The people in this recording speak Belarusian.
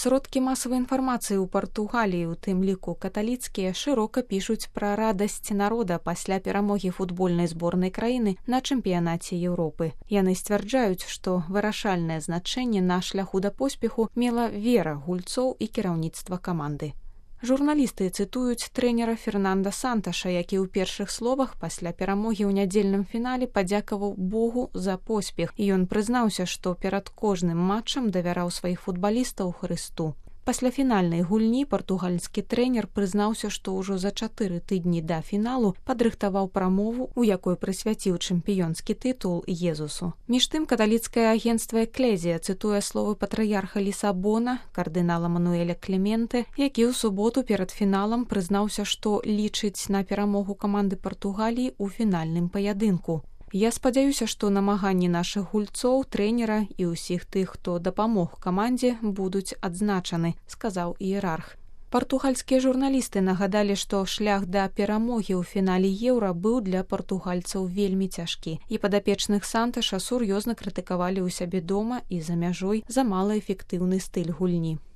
Сродкі масавай інфармацыі ў Партугаліі, у тым ліку каталіцкія, шырока пішуць пра радасць народа пасля перамогі футбольнай зборнай краіны на чэмпіянаце Еўропы. Яны сцвярджаюць, што вырашальнае значэнне на шляху да поспеху мела вера гульцоў і кіраўніцтва каманды. Журналісты цытуюць трэнера Фернанда Санташа, які ў першых словах пасля перамогі ў нядзельным фінале падзякаваў Богу за поспех, і ён прызнаўся, што перад кожным матчам давяраў сваіх футбалістаў Хрысту. Пасля фінальнай гульні партугальскі трэнер прызнаўся, што ўжо за 4 тыдні да фіналу падрыхтаваў прамову, у якой прысвяціў чэмпіёнскі тытул Езусу. Між тым, каталіцкае агенцтва «Экклезія» цытуе словы патрыярха Лісабона, кардынала Мануэля Клементе, які ў суботу перад фіналам прызнаўся, што лічыць на перамогу каманды Партугаліі ў фінальным паядынку. Я спадзяюся, што намаганні нашых гульцоў, трэнера і ўсіх тых, хто дапамог камандзе, будуць адзначаны, сказаў іерарх. Партугальскія журналісты нагадалі, што шлях да перамогі ў фінале Еўра быў для партугальцаў вельмі цяжкі, і падапечных Санташа сур'ёзна крытыкавалі ў сябе дома і за мяжой за малаэфектыўны стыль гульні.